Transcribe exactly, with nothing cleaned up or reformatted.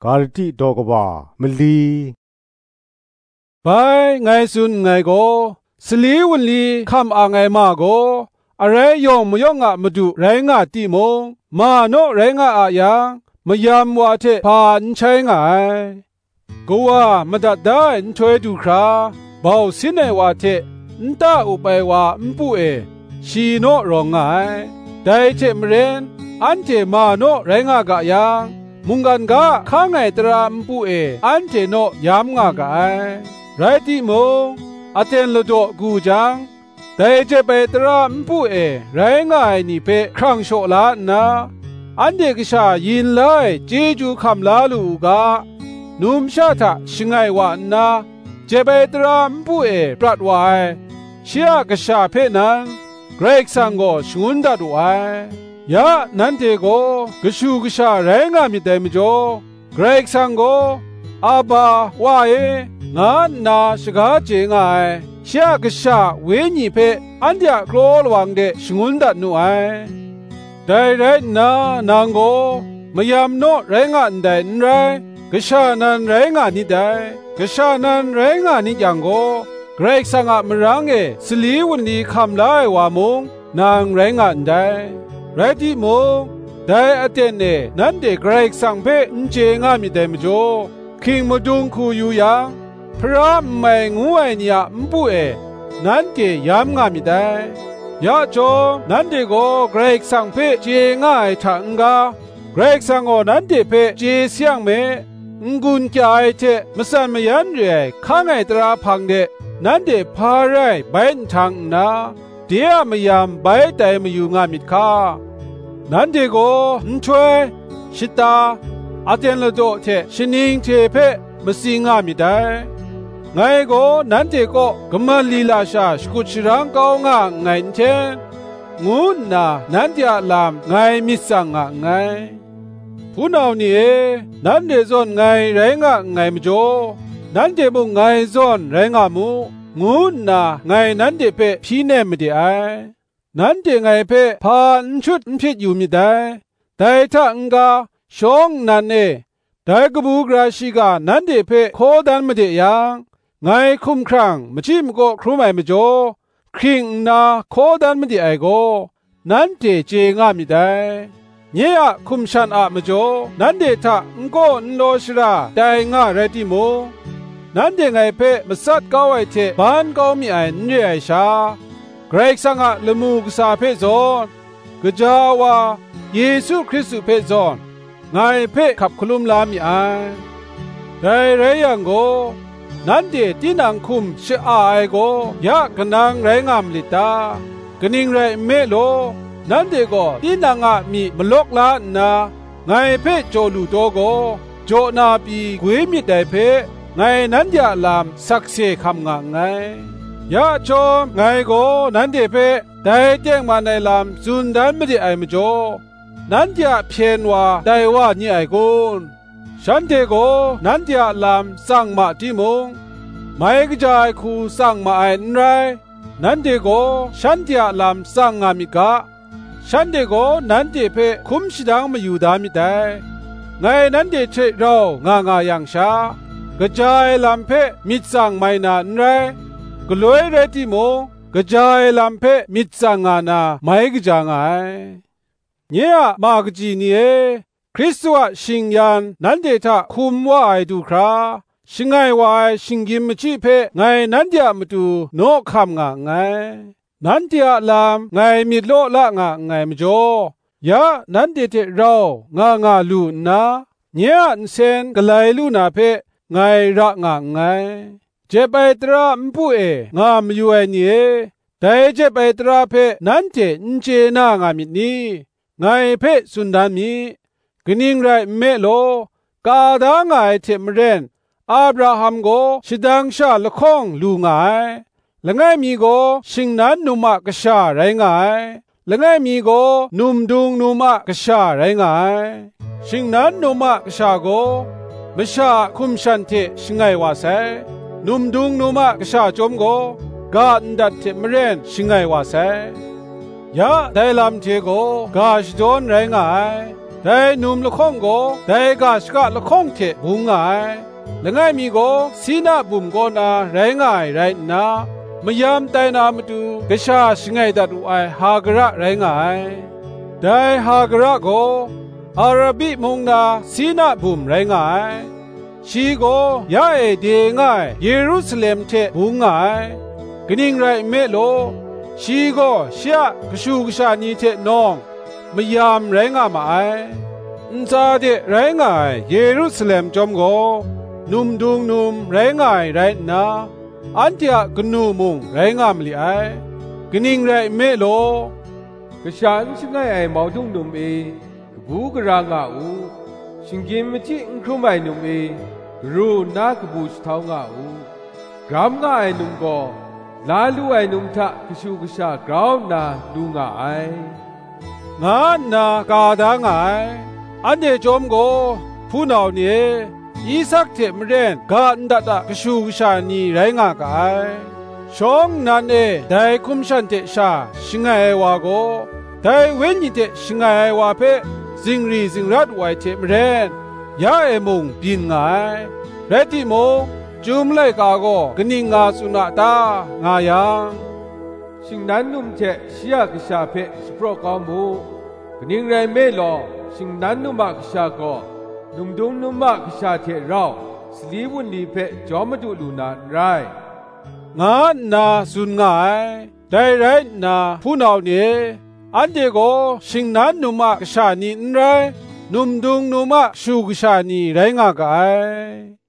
Barati daw kaba mali. Bai, ngai tsun nngai gaw, sali wunli hkam ang ai ma gaw, arai yawng mayawng a madu rai nga timung, ma naw rai nga a yang, mayam wa hte hpa n shai nga ai. Kawa madat da ai nhtoi du hkra, bau sin ai wa hte nta up ai wa npu e, shi naw rawng nga ai. Dai hte maren, anhte ma naw rai nga ga yang, mungkan ga a hkang ai tara npu e anhte naw yam nga ga ai. Rai timung, aten ladaw gu jang, dai jep ai tara npu e rai nga ai ni hpe hkrang shaw la nna, anhte kasha yin la ai chyeju hkam la lu u ga, numsha hta shangai wa nna, jep ai tara npu e prat wa ai, shi a kasha hpe nan, Karai Kasang gaw shangun dat wu ai. Ya nanhte gaw kashu kasha rai nga myit dai majaw, Karai Kasang gaw, "Aba, Wa e," nga nna shaga chye nga ai, shi a Kasha Wenyi hpe anhte a kraw lawang de shangun dat nu ai. Dai rai nna, nang gaw mayam naw rai nga ndai n rai, kasha nan rai nga nit dai. Kasha nan rai nga nit yang gaw, Karai Kasang a marang e sali wunli hkam la ai wa mung, nang rai nga ndai. Rai timung, dai aten e nanhte Karai Kasang hpe n chye nga myit dai majaw, hking madung hku yu yang, hpara n mai ngu ai ni a npu e nanhte yam nga myit dai. Ya chyawm, nanhte gaw Karai Kasang hpe chye nga ai hta n-ga, Karai Kasang gaw nanhte hpe chye sayang me, n-gun kya ai hte matsan mayan re ai hkang ai tara hpang de nanhte hpa rai bai nhtang nna, de a mayam bai tai mayu nga myit hka. Nanhte gaw nhtoi, shata, aten ladaw hte shaning hte hpe matsing nga myit dai. Ngai gaw nanhte kaw kaman lila sha shakut sharang kau nga nngai nhten, ngu nna nanhte a lam ngai myit tsang nga nngai. Hpunau ni e, nanhte zawn ngai rai nga nngai majaw, nanhte mung ngai zawn rai nga mu, ngu nna ngai nanhte hpe hpyi nem made ai. Nanhte ngai hpe hpa n shut n hpyit yu myit dai. Dai hta n-ga, shawng nnan e, dai kabu gara shiga nanhte hpe hkaw dan made yang, ngai hkumhkrang machyi makaw hkrum ai majaw, hkring nna hkaw dan made ai gaw, nanhte chye nga myit dai. Nye a hkum shan a majaw, nanhte hta n kaw n law shara tai nga rai timung, nanhte ngai hpe matsat kau ai hte ban kau mi ai n re ai sha, Karai Kasang a lamu kasa hpe zawn, gaja wa Yesu Hkristu hpe zawn, ngai hpe hkap hkalum la mi ai. Dai rai yang gaw, nanhte tinang hkum sha-a ai gaw ya kanang rai nga malit ta? Kaning rai nme law, nanhte gaw tinang a myi malawk la nna, ngai hpe jaw lu taw gaw, jaw na pyi gwi myit dai hpe, ngai nanhte a lam sakse hkam nga nngai. Ya chyawm, ngai gaw nanhte hpe dai tengman ai lam tsun dan made ai majaw, nanhte a hpyen wa tai wa ni ai kun? Shanhte gaw nanhte a lam tsang ma timung, mai kaja ai hku tsang ma ai n rai, nanhte gaw shanhte a lam tsang nga myit ga, shanhte gaw nanhte hpe hkum shadang mayu da myit dai. Ngai nanhte hte rau nga nga yang sha, kaja ai lam hpe myit tsang mai na n rai, galoi rai timung, kaja ai lam hpe myit tsang nga na mai kaja nga ai. Nye a ma kaji ni e, Hkristu a shingyan nanhte hta hkum wa ai du hkra, shangai wa ai shinggyim machyi hpe ngai nanhte a matu naw hkam nga nngai. Nanhte a lam ngai myit law la nga nngai majaw, ya nanhte hte rau nga nga lu nna, nye a nsen galai lu na hpe ngai ra nga nngai. Jep ai tara npu e nga mayu ai ni e, dai jep ai tara hpe nanhte n chye na nga myit ni? Ngai hpe tsun dan mi. Kaning rai nme law, ka da nga ai hte maren, Abraham gaw shadang sha lahkawng lu nga ai. Langai mi gaw shingnan num a kasha rai nga ai. Langai mi gaw num dung num a kasha rai nga ai. Shingnan num a kasha gaw masha a hkum shan hte shangai wa sai. Num dung num a kasha chyawm gaw ga ndat hte maren shangai wa sai. Ya dai lam hte gaw ga shadawn rai nga ai. Dai num lahkawng gaw dai ga shaka lahkawng hte bung nga ai. Langai mi gaw Sina bum kaw na rai nga ai rai nna, mayam tai na matu kasha shangai dat wu ai Hagara rai nga ai. Dai Hagara gaw Arabi mung na Sina bum rai nga ai. Shi gaw ya e de nga ai Yerusalem hte bung nga ai. Kaning rai nme law, shi gaw shi a kashu kasha ni hte nawng mayam rai nga ma ai. Ntsa de rai nga ai Yerusalem chyawm gaw, num dung num rai nga ai rai nna, anhte a kanu mung rai nga ma li ai. Kaning rai nme law, kasha n shangai ai maudung num e, kabu gara nga u, shinggyim machyi n hkrum ai num e, garu nna kabu shahtau nga u, gram nga ai num gaw, la lu ai num hta kashu kasha grau nna lu nga ai, nga nna ka da nga ai. Anhte chyawm gaw, hpunau ni e, Isak hte maren ga ndat a kashu kasha ni rai nga ga ai. Shawng nnan e dai hkum shan hte sha shangai ai wa gaw, dai Wenyi hte shangai ai wa hpe zingri zingrat wu ai hte maren, ya e mung byin nga ai. Rai timung, Chyum laika gaw kaning nga tsun a ta, nga yang, shingnan num hte shi a kasha hpe shapraw kau mu. Kaning rai nme law, shingnan num a kasha gaw, num dung num a kasha hte rau sali wunli hpe jawm madu lu na n rai, nga nna tsun nga ai. Dai rai nna, hpunau ni e, anhte gaw shingnan num a kasha ni n rai, num dung num a kashu kasha ni rai nga ga ai.